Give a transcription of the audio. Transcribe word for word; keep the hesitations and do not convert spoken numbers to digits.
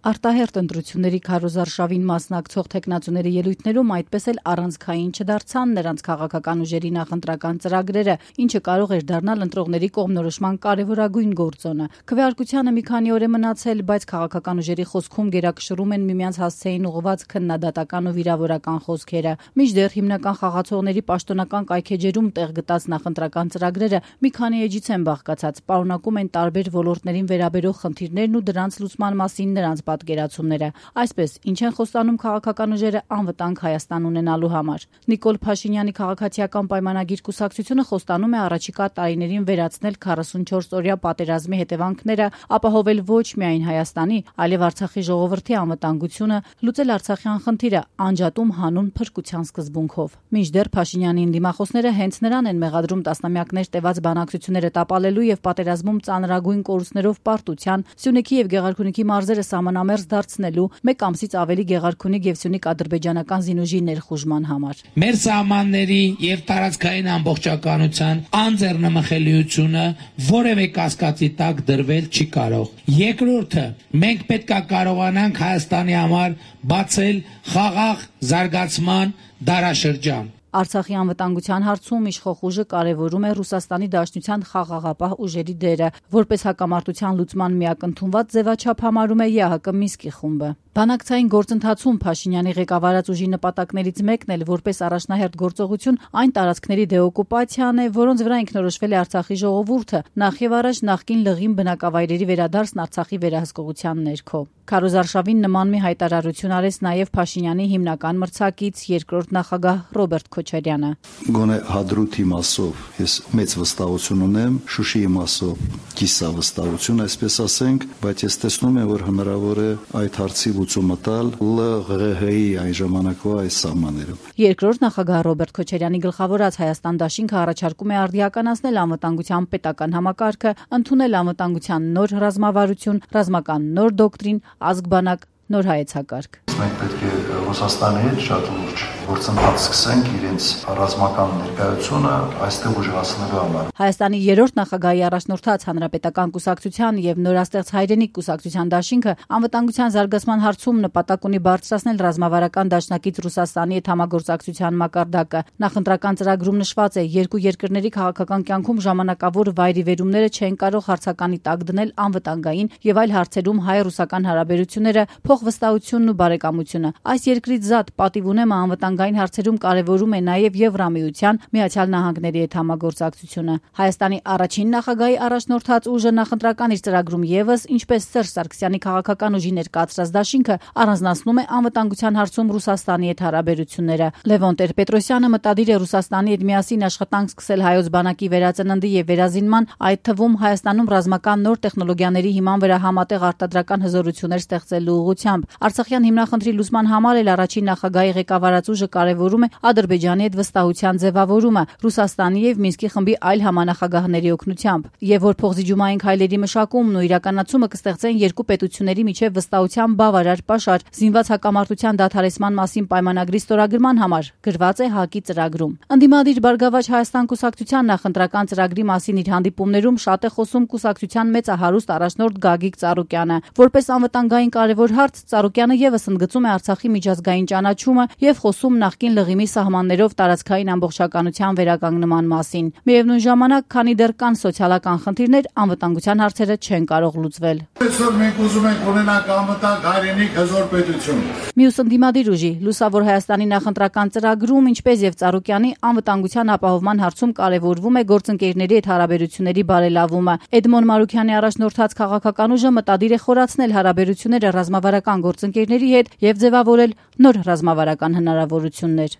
Արտահերթ ընտրությունների քարոզարշավին մասնակցող թեկնածուների ելույթներում այդպես էլ առանցքային չդարձան նրանց քաղաքական ուժերի նախընտրական ծրագրերը, ինչը կարող էր դառնալ ընտրողների կողմնորոշման կարևորագույն գործոնը։ Քվեարկությանը մի քանի օր է մնացել, բայց քաղաքական ուժերի խոսքում գերակշռում են միմյանց հասցեին ուղղված քննադատական ու վիրավորական խոսքերը։ Մինչդեռ հիմնական խաղացողների պաշտոնական կայքեջերում տեղ գտած նախընտրական ծրագրերը մի քանի էջից են բաղկացած, պարունակում են տարբեր ոլորտներին վերաբերող խնդիրներն ու դրանց լուծման մասին նրանց պատկերացումները։ Այսպես, ինչ են խոստանում քաղաքական ուժերը անվտանգ Հայաստան ունենալու համար։ Նիկոլ Փաշինյանի քաղաքացիական պայմանագիր կուսակցությունը խոստանում է առաջիկա տարիներին վերացնել քառասունչորս օրյա պատերազմի հետևանքները, ապահովել ոչ միայն Հայաստանի, այլև Արցախի ժողովրդի անվտանգությունը, լուծել արցախյան խնդիրը անջատում հանուն փրկության սկզբունքով։ Մինչդեռ Փաշինյանի ընդդիմախոսները հենց նրան են մեղադրում տասնամյակներ տևած բանակցությունները տապալելու եւ պատերազմում ծանրագույն կորուստներով պարտության, Սյունիքի եւ Գեղարքունիքի մարզերը սահմանամերձ դարձնելու, մեկ ամսից ավելի Գեղարքունիք եւ Սյունիք ադրբեջանական զինուժի ներխուժման համար։ Մեր սահմանների եւ տարածքային ամբողջականության անձեռնմխելիությունը որևէ կասկածի տակ դրվել չի կարող։ Երկրորդը, մենք պետք է կարողանանք Հայաստանի համար բացել խաղաղ զարգացման դարաշրջան։ Արցախի անվտանգության հարցում իշխող ուժը կարևորում է Ռուսաստանի Դաշնության խաղաղապահ ուժերի դերը, որպես հակամարտության լուծման միակ ընդունված ձևաչափ համարում է ԵԱՀԿ Մինսկի խումբը։ Բանակցային գործընթացում Փաշինյանի ղեկավարած ուժի նպատակներից մեկն էլ որպես առաջնահերթ գործողություն այն տարածքների դեօկուպացիան է, որոնց վրա ինքնորոշվել է Արցախի ժողովուրդը, նախ եւ առաջ նախկին լղիմ բնակավայրերի վերադարձն Արցախի վերահսկողության ներքո։ Քարոզարշավին նման մի հայտարարություն արեց նաև Փաշինյանի հիմնական մրցակից երկրորդ նախագահ Ռոբերտ Քոչարյանը։ Գոնե Հադրութի մասով ես մեծ վստահություն ունեմ, Շուշիի մասով կիսա վստահություն, այսպես ասենք, բայց ես տեսնում եմ, որ հնարավոր է այդ հարցի լուծումը տալ ԼՂՀ-ի այն ժամանակվա այս սահմաններում։ Երկրորդ նախագահ Ռոբերտ Քոչարյանի գլխավորած Հայաստան դաշինքը առաջարկում է արդիականացնել անվտանգության պետական համակարգը, ընդունել անվտանգության նոր ռազմավարություն, ռազմական նոր դոկտրին, ազգ-բանակ, նոր հայեցակարգ։ Մենք պետք է Ռուսաստանի հետ շատ լուրջ գործընթաց սկսենք իրենց ռազմական ներկայությունը այստեղ ուժեղացնելու համար։ Հայաստանի երրորդ նախագահի առաջնորդած Հանրապետական կուսակցության եւ Նորաստեղծ հայրենիք կուսակցության դաշինքը անվտանգության զարգացման հարցում նպատակ ունի բարձրացնել ռազմավարական դաշնակից Ռուսաստանի հետ համագործակցության մակարդակը։ Նախընտրական ծրագրում նշված է, երկու երկրների քաղաքական կյանքում ժամանակավոր վայրիվերումները չեն կարող հարցականի տակ դնել անվտանգային եւ այլ հարցերում հայ-ռուսական հարաբերությունները, փոխվստահությունն ու բարեկամությունը։ Այս երկրից զատ պատիվ ունեմը անվտանգային հարցերում կարևորում է նաև Եվրամիության, Միացյալ Նահանգների հետ համագործակցությունը։ Հայաստանի առաջին նախագահի առաջնորդած ուժը նախընտրական իր ծրագրում եւս, ինչպես Սերժ Սարգսյանի քաղաքական ուժի ներկայացրած դաշինքը, առանձնացնում է անվտանգության հարցում Ռուսաստանի հետ հարաբերությունները։ Լևոն Տեր-Պետրոսյանը մտադիր է Ռուսաստանի հետ միասին աշխատանք սկսել հայոց բանակի վերածննդի եւ վերազինման, այդ թվում Հայաստանում ռազմական նոր տեխնոլոգիաների հիման վրա համատեղ արտադրական հզորություններ ստեղծելու ուղղությամբ։ Արցախյան հիմնախնդրի լուծման համար էլ առաջին նախագահի ղեկավարած ուժը կարևորում է Ադրբեջանի հետ վստահության ձևավորումը Ռուսաստանի եւ Մինսկի խմբի այլ համանախագահների օգնությամբ, եւ որ փոխզիջումային քայլերի մշակումն ու իրականացումը կստեղծեն երկու պետությունների միջև վստահության բավարար պաշար զինված հակամարտության դադարեցման մասին պայմանագրի ստորագրման համար գրված է ՀԱԿ-ի ծրագրում։ Ընդդիմադիր Բարգավաճ Հայաստան կուսակցության նախընտրական ծրագրի մասին իր հանդիպումներում շատ է խոսում կուսակցության մեծահարուստ առաջնորդ Գագիկ Ծառուկյանը, որպես անվտանգային կարևոր հարց Ծառուկյանը եւս ընդգծում է Արցախի միջազգային ճանաչումը եւ խոսում նախկին լղիմի սահմաններով տարածքային ամբողջականության վերականգնման մասին։ Միևնույն ժամանակ, քանի դեռ կան սոցիալական խնդիրներ, անվտանգության հարցերը չեն կարող լուծվել։ Այսօր մենք ուզում ենք ունենալ անվտանգ հայրենիք հզոր պետություն։ Մյուս ընդդիմադիր ուժի Լուսավոր Հայաստանի նախընտրական ծրագրում, ինչպես եւ Ծառուկյանի, անվտանգության ապահովման հարցում կարևորվում է գործընկերների հետ հարաբերությունների բարելավումը։ Էդմոն Մարուքյանի առաջնորդած քաղաքական ուժը մտադիր է խորացնել հարաբերությունները ռազմավարական գործընկերների հետ եւ ձևավորել նոր ռազմավարական հնարավորություններ։